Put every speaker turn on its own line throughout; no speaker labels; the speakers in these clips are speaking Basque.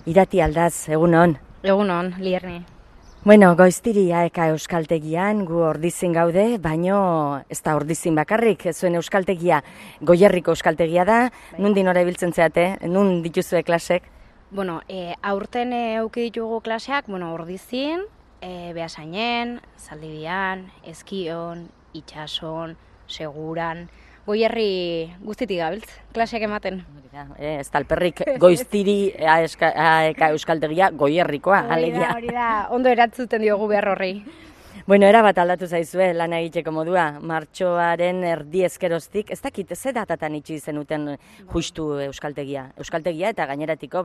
Irati Aldaz, egunon.
Egunon, Lierni.
Bueno, Goiztiri AEK Euskaltegian gu Ordizin gaude, baino ez da Ordizin bakarrik, zuen euskaltegia, Goierriko euskaltegia da, nundin ora ibiltzen zeate, nun dituzue klasek?
Bueno, aurten eduki ditugu klaseak, Ordizin, Beasainen, Zaldibian, Eskion, Itxason, Seguran, Goierri guztitik gabiltz, klaseak ematen.
Ez talperrik Goiztiri AEK Euskaltegia Goierrikoa, alegia.
Hori da, ondo eratzuten diogu behar horri.
Bueno, erabat aldatu zaizue lana egiteko modua, martxoaren erdi ezkeroztik, ez dakit, ze datatan itxi zenuten justu euskaltegia? Euskaltegia eta gaineratiko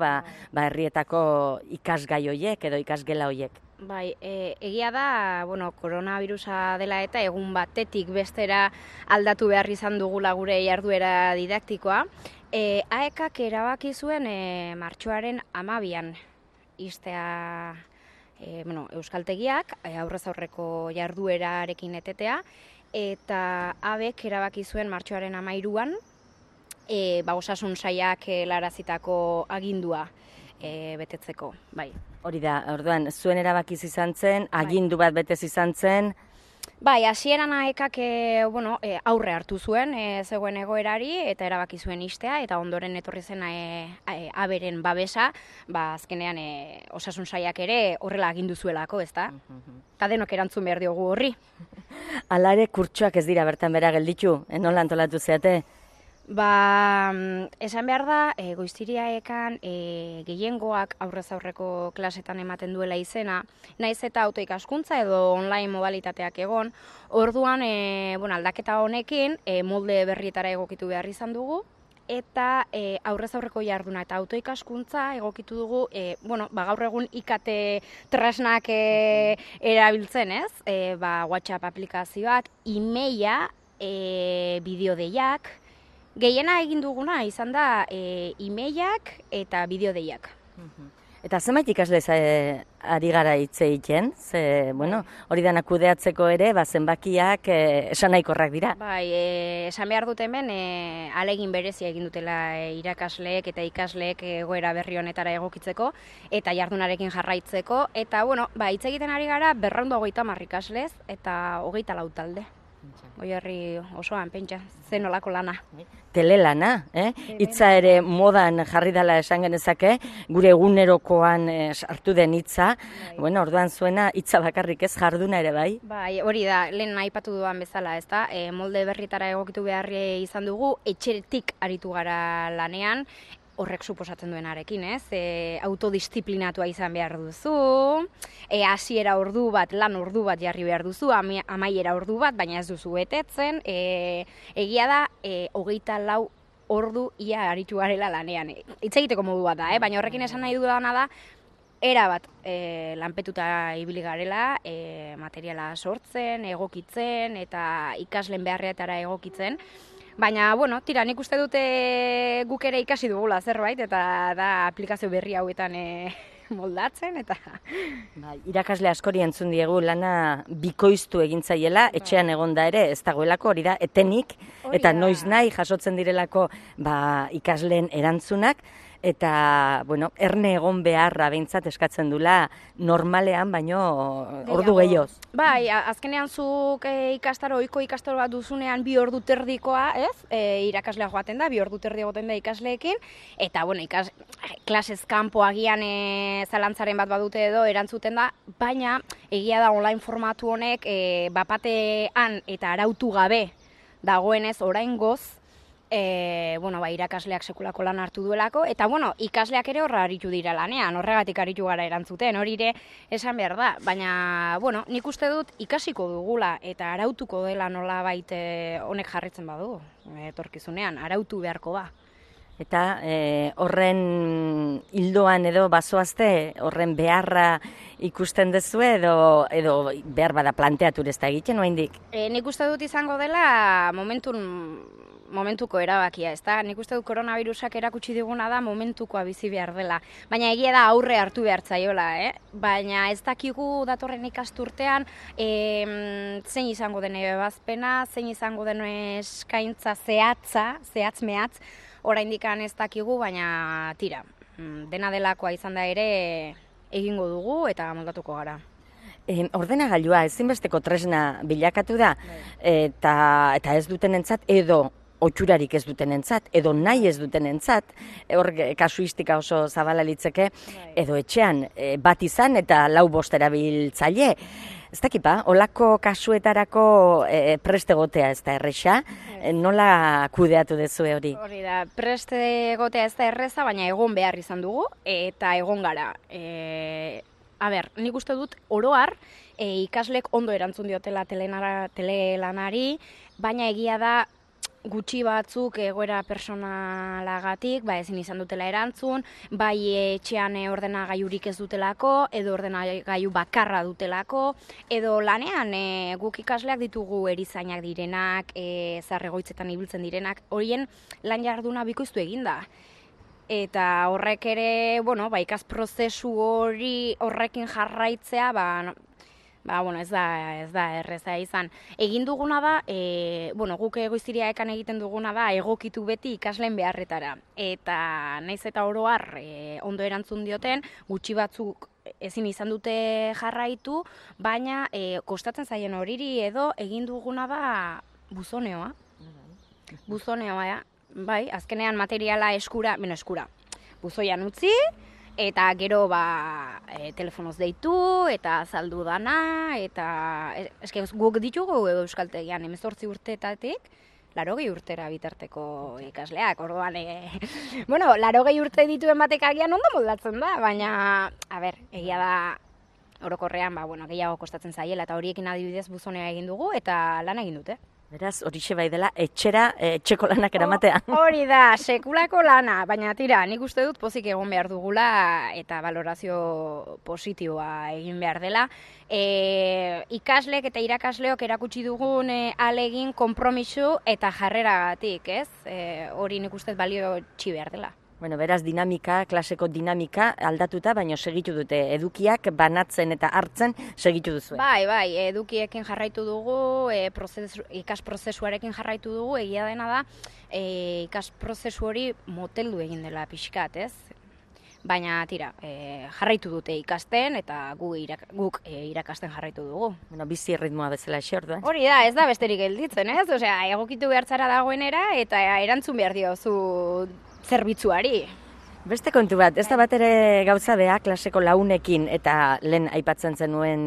herrietako ikasgai hoiek edo ikasgela hoiek.
Bai, egia da, koronavirusa dela eta egun batetik bestera aldatu behar izan dugula gure jarduera didaktikoa. AEKak erabaki zuen martxoaren 12an istea euskaltegiak, aurrez aurreko jarduerarekin etetea, eta ABek erabaki zuen martxoaren 13an osasun sailak helarazitako agindua betetzeko, bai.
Hori da, orduan, zuen erabakiz izan zen, agindu bat betez izan zen.
Bai, hasieran AEKak aurre hartu zuen zegoen egoerari eta erabaki zuen istea, eta ondoren etorri zen aberen babesa, azkenean osasun sailak ere horrela agindu zuelako, ezta? Eta denok erantzun behar diogu horri.
Hala ere, kurtsoak ez dira bertan bera gelditu, nola antolatu zeate?
Esan behar da, Goiztiri AEKan gehiengoak aurrez aurreko klasetan ematen duela izena, naiz eta autoikaskuntza edo online modalitateak egon, orduan aldaketa honekin molde berrietara egokitu behar izan dugu, eta aurrez aurreko jarduna eta autoikaskuntza egokitu dugu, gaur egun IKT tresnak erabiltzen, ez? WhatsApp aplikazioak, e-maila, bideodeiak. Gehiena egin duguna izan da e-mailak eta bideodeiak.
Eta zenbait ikasle ari gara hitz egiten? Hori dana kudeatzeko ere, zenbakiak esanahikorak dira.
Bai, esan behar dut hemen, ahalegin berezia egin dutela irakasleek eta ikasleek egoera berri honetara egokitzeko eta jardunarekin jarraitzeko. Eta, hitz egiten ari gara 230 ikaslez eta 24 talde. Goierri osoan, pentsa, zen olako lana.
Telelana, hitza ere modan jarri dela esan genezake, gure egunerokoan sartu den hitza, orduan zuena hitza bakarrik ez jarduna ere bai?
Bai, hori da, lehen aipatu dudan bezala, ezta? Molde berritara egokitu beharri izan dugu, etxeretik aritu gara lanean, horrek suposatzen duenarekin, ez? Autodisziplinatua izan behar duzu, hasiera ordu bat, lan ordu bat jarri behar duzu, amaiera ordu bat, baina ez duzu betetzen, egia da, 24 ordu ia aritu garela lanean. Hitz egiteko modu bat da, baina horrekin esan nahi dudana da, erabat lanpetuta ibili garela, materiala sortzen, egokitzen, eta ikasleen beharretara egokitzen, baina, tira, nik uste dute guk ere ikasi dugula zerbait, eta da aplikazio berri hauetan moldatzen, eta...
Irakasle askori entzun diegu lana bikoiztu egintzaiela, etxean egonda ere, ez dagoelako hori da, etenik, eta noiz nahi jasotzen direlako ikasleen erantzunak, eta, erne egon beharra behintzat eskatzen dula normalean, baino ordu gehioz.
Bai, azkenean zuk ohiko ikastaro bat duzunean 2 ordu terdikoa, ez? Irakaslea joaten da, 2 ordu terdi egoten da ikasleekin, eta, klasez kanpo agian zalantzaren bat badute edo erantzuten da, baina egia da online formatu honek bapatean eta arautu gabe dagoenez oraingoz, irakasleak sekulako lan hartu duelako, eta ikasleak ere horra aritu dira lanean, horregatik aritu gara erantzuten, hori ere esan behar da, baina nik uste dut ikasiko dugula eta arautuko dela nolabait honek jarritzen badu, etorkizunean, arautu beharko ba.
Eta horren hildoan edo bazoazte, horren beharra ikusten duzu edo behar bada planteatu ez da egiten, oraindik?
Nik uste dut izango dela momentuko erabakia, ezta? Nik uste dut koronavirusak erakutsi diguna da momentukoa bizi behar dela. Baina egia da aurre hartu behar zaiola, Baina ez dakigu datorren ikasturtean zein izango den ebazpena, zein izango den eskaintza zehatz mehatz, oraindik ez dakigu, baina tira. dena delakoa izan da ere egingo dugu eta moldatuko gara.
Ordenagailua ezinbesteko tresna bilakatu da, eta ez dutenentzat edo otxurarik ez dutenentzat, edo nahi ez dutenentzat, hor kasuistika oso zabala litzeke, edo etxean bat izan eta 4-5 erabiltzaile. Ez dakipa, olako kasuetarako preste egotea ez da erresa, nola kudeatu dezue hori?
Hori da, preste egotea ez da erreza, baina egon behar izan dugu, eta egon gara. Nik uste dut oroar ikaslek ondo erantzun diotela telelanari, baina egia da gutxi batzuk egoera personalagatik, ezin izan dutela erantzun, bai etxean ordenagailurik ez dutelako, edo ordenagailu bakarra dutelako, edo lanean guk ikasleak ditugu erizainak direnak, zahar-egoitzetan ibiltzen direnak, horien lan jarduna bikoiztu eginda. Eta horrek ere, ikas prozesu hori horrekin jarraitzea, ez da erreza izan. Egin duguna da, guk Goiziria ekan egiten duguna da, egokitu beti ikasleen beharretara. Eta naiz eta oroar ondo erantzun dioten, gutxi batzuk ezin izan dute jarraitu, baina kostatzen zaien horiri edo egin duguna da buzoneoa. Buzoneoa, bai, azkenean materiala eskura, buzoian utzi, eta gero telefonoz deitu, eta azaldu dana, eta guk ditugu euskaltegian 18 urteetatik, 80 urtera bitarteko ikasleak, orduan, 80 urte dituen batek agian ondo moldatzen da, baina, egia da, orokorrean, gehiago kostatzen zaiela, eta horiekin adibidez buzonea egin dugu, eta lan egin dute.
Beraz, horixe bai dela, etxeko lanak eramatea.
Hori da, sekulako lana, baina tira, nik uste dut pozik egon behar dugula eta valorazio positiboa egin behar dela. Ikaslek eta irakasleok erakutsi dugun ahalegin, konpromiso eta jarreragatik, ez? Hori nik uste balio txi behar dela.
Beraz, klaseko dinamika aldatuta, baina segitu dute edukiak banatzen eta hartzen segitu duzu.
Bai, edukiekin jarraitu dugu, ikas prozesuarekin jarraitu dugu, egia dena da, ikas prozesu hori moteldu egin dela pixkat, ez? Baina, tira, jarraitu dute ikasten eta guk irakasten jarraitu dugu.
Bizi erritmoa bezala ese orduan.
Hori da, ez da besterik gelditzen, ez? Osea, egokitu behartzara dagoenera eta erantzun behar diozu zerbitzuari.
Beste kontu bat, ez da bat ere gauza bea klaseko launekin eta lehen aipatzen zenuen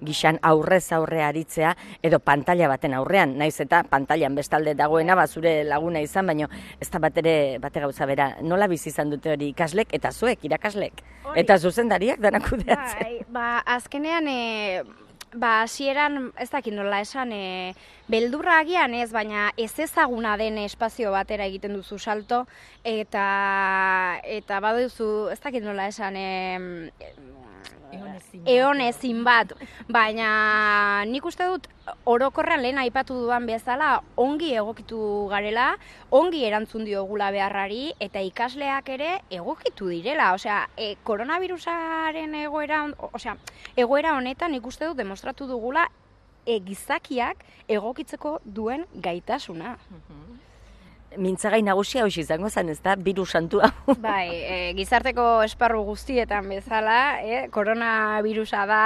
gixan aurrez aurre aritzea edo pantalla baten aurrean, naiz eta pantailan bestalde dagoena zure laguna izan, baina ez da bat ere bate gauza bera. Nola bizi izan dute hori ikaslek eta zuek irakaslek? Eta zuzendariak danak kudeatzen?
Azkenean, hasieran ez dakit nola esan, beldurra agian ez, baina ez ezaguna den espazio batera egiten duzu salto, eta baduzu, ez dakit nola esan, eonezin bat, baina nik uste dut orokorrean lehen aipatu dudan bezala ongi egokitu garela, ongi erantzun diogula beharrari eta ikasleak ere egokitu direla. Osea, koronavirusaren egoera honetan nik uste dut demostratu dugula gizakiak egokitzeko duen gaitasuna.
Mintzagai nagusia hoxe izango zen, ez da, virus santua.
Bai, gizarteko esparru guztietan bezala, koronavirusa da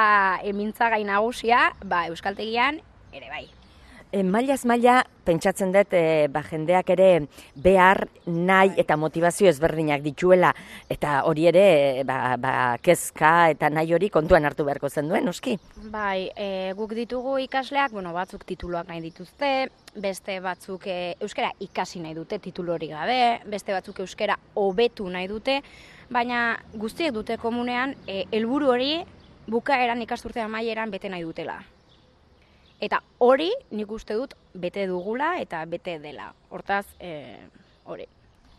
mintzagai nagusia, euskaltegian ere bai.
Mailaz maila, pentsatzen dut, jendeak ere behar, nahi eta motivazio ezberdinak dituela, eta hori ere, kezka eta nahi hori kontuan hartu beharko zen duen, noski?
Bai, guk ditugu ikasleak, batzuk tituluak nahi dituzte, beste batzuk euskara ikasi nahi dute titulu hori gabe, beste batzuk euskara hobetu nahi dute, baina guztiek dute komunean, helburu hori bukaeran ikasturte amaieran bete nahi dutela. Eta hori nik uste dut bete dugula eta bete dela. Hortaz, hori.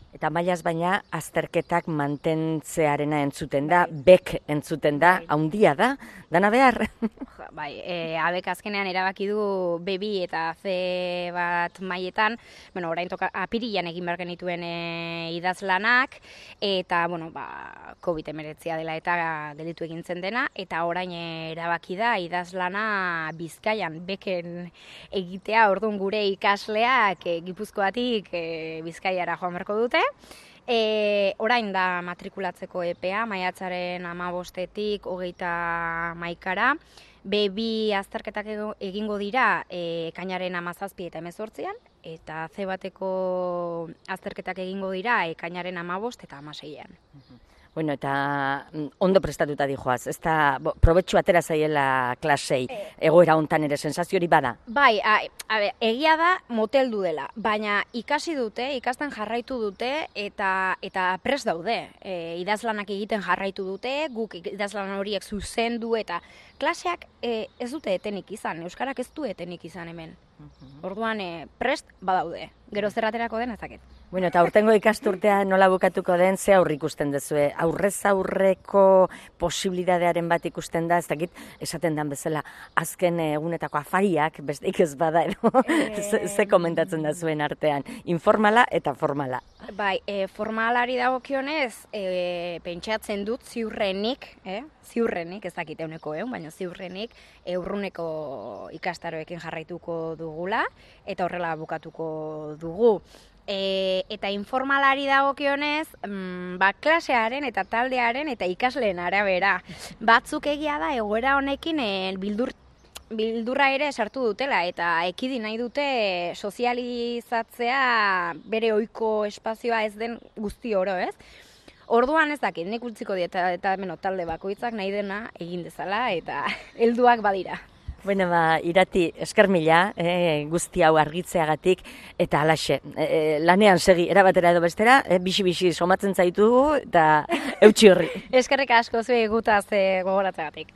Eta mailaz baina azterketak mantentzearena entzuten da, bek entzuten da, haundia da, dana behar.
Bai, abek azkenean erabaki du B2 eta C bat mailetan, orain apirilan egin behar genituen idazlanak, eta, COVID-19 dela eta gelditu egin zen dena, eta orain erabaki da idazlana Bizkaian beken egitea, orduan gure ikasleak Gipuzkoatik Bizkaiara joan beharko dute, Orain da matrikulatzeko epea, maiatzaren 15-etik 31-ra. B2 azterketak egingo dira ekainaren 17 eta 18an, eta C1eko azterketak egingo dira ekainaren 15 eta 16an.
Bueno, eta ondo prestatuta dijoaz, ez da probetxu atera zaiela klasei, egoera hontan ere sensazio hori bada?
Bai, egia da moteldu dela, baina ikasi dute, ikasten jarraitu dute eta prest daude. Idazlanak egiten jarraitu dute, guk idazlan horiek zuzendu eta klaseak ez dute etenik izan, euskarak ez du etenik izan hemen. Orduan prest badaude, gero zerraterako den ezaket.
Bueno, eta aurtengo ikasturtea nola bukatuko den, ze aurre ikusten duzue? Aurrez aurreko posibilidadearen bat ikusten da, ez dakit, esaten den bezala, azken egunetako afariak, besteik ez bada edo, ze komentatzen da zuen artean, informala eta formala.
Bai, formalari dagokionez, pentsatzen dut ziurrenik, ez dakit euneko baina ziurrenik, urruneko ikastaroekin jarraituko dugula, eta horrela bukatuko dugu. Eta informalari dagokionez, klasearen eta taldearen eta ikasleen arabera. Batzuk egia da egoera honekin bildurra ere sartu dutela eta ekidi nahi dute sozializatzea bere ohiko espazioa ez den guzti oro, ez? Orduan ez dakit, nik utziko diet eta talde bakoitzak nahi dena egin dezala eta helduak badira.
Bueno, Irati, esker mila, guzti hau argitzeagatik, eta halaxe, lanean segi, erabatera edo bestera, bixi-bixi somatzen zaitugu, eta eutxi horri.
Eskerrik asko zuei gutaz gogoratzeagatik.